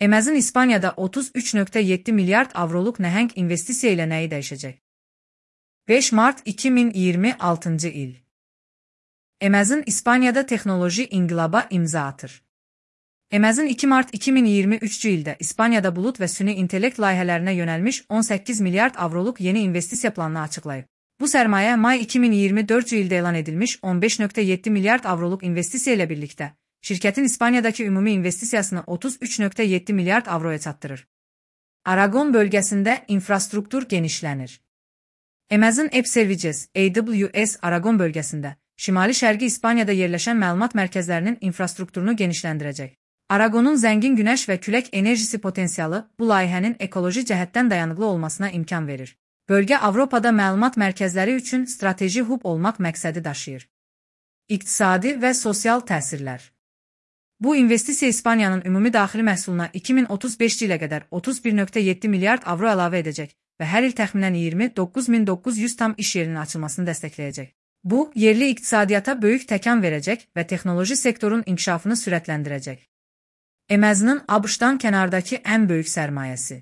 Emez'in İspaniyada 33,7 milyard avroluk nəhəng investisiya ilə nəyi dəyişəcək? 5 Mart 2026 il. Emez'in İspaniyada texnoloji inqilaba imza atır. Emez'in 2 Mart 2023 ildə İspaniyada bulut və süni intellekt layihələrinə yönəlmiş 18 milyard avroluk yeni investisiya planını açıqlayıb. Bu sərmayə may 2024 ildə elan edilmiş 15,7 milyard avroluk investisiya ilə birlikdə şirkətin İspaniyadakı ümumi investisiyasını 33,7 milyard avroya çatdırır. Aragon bölgəsində infrastruktur genişlənir. Emez'in App Services, AWS Aragon bölgəsində, şimali-şərqi İspaniyada yerləşən məlumat mərkəzlərinin infrastrukturunu genişləndirəcək. Aragonun zəngin günəş və külək enerjisi potensialı bu layihənin ekoloji cəhətdən dayanıqlı olmasına imkan verir. Bölgə Avropada məlumat mərkəzləri üçün strateji hub olmaq məqsədi daşıyır. İqtisadi və sosial təsirlər. Bu investisiya İspaniyanın ümumi daxili məhsuluna 2035 ilə qədər 31,7 milyard avro əlavə edəcək və hər il təxminən 29.900 tam iş yerinin açılmasını dəstəkləyəcək. Bu, yerli iqtisadiyyata böyük təkan verəcək və texnoloji sektorun inkişafını sürətləndirəcək. Emez'in ABŞ-dan kənardakı ən böyük sərmayəsi.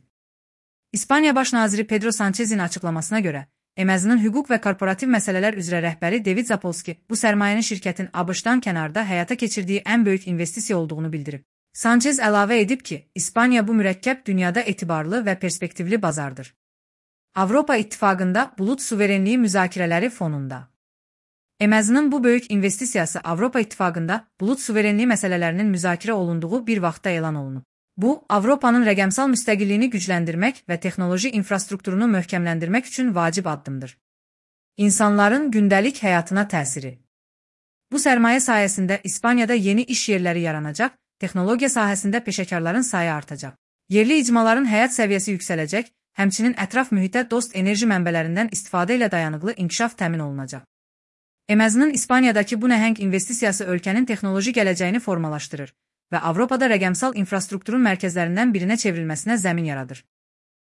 İspaniya Baş naziri Pedro Sanchez'in açıqlamasına görə, Emez'in hüquq və korporativ məsələlər üzrə rəhbəri David Zapolsky bu sərmayənin şirkətin ABŞ-dan kənarda həyata keçirdiyi ən böyük investisiya olduğunu bildirib. Sanchez əlavə edib ki, İspaniya bu mürəkkəb dünyada etibarlı və perspektivli bazardır. Avropa İttifaqında bulut suverenliyi müzakirələri fonunda. Emez'in bu böyük investisiyası Avropa İttifaqında bulut suverenliyi məsələlərinin müzakirə olunduğu bir vaxtda elan olunub. Bu, Avropanın rəqəmsal müstəqilliyini gücləndirmək və texnoloji infrastrukturunu möhkəmləndirmək üçün vacib addımdır. İnsanların gündəlik həyatına təsiri. Bu sərmayə sayəsində İspaniyada yeni iş yerləri yaranacaq, texnologiya sahəsində peşəkarların sayı artacaq. Yerli icmaların həyat səviyyəsi yüksələcək, həmçinin ətraf mühitə dost enerji mənbələrindən istifadə ilə dayanıqlı inkişaf təmin olunacaq. Emez'in İspaniyadakı bu nəhəng investisiyası ölkənin texnoloji gələcəyini formalaşdırır və Avropada rəqəmsal infrastrukturun mərkəzlərindən birinə çevrilməsinə zəmin yaradır.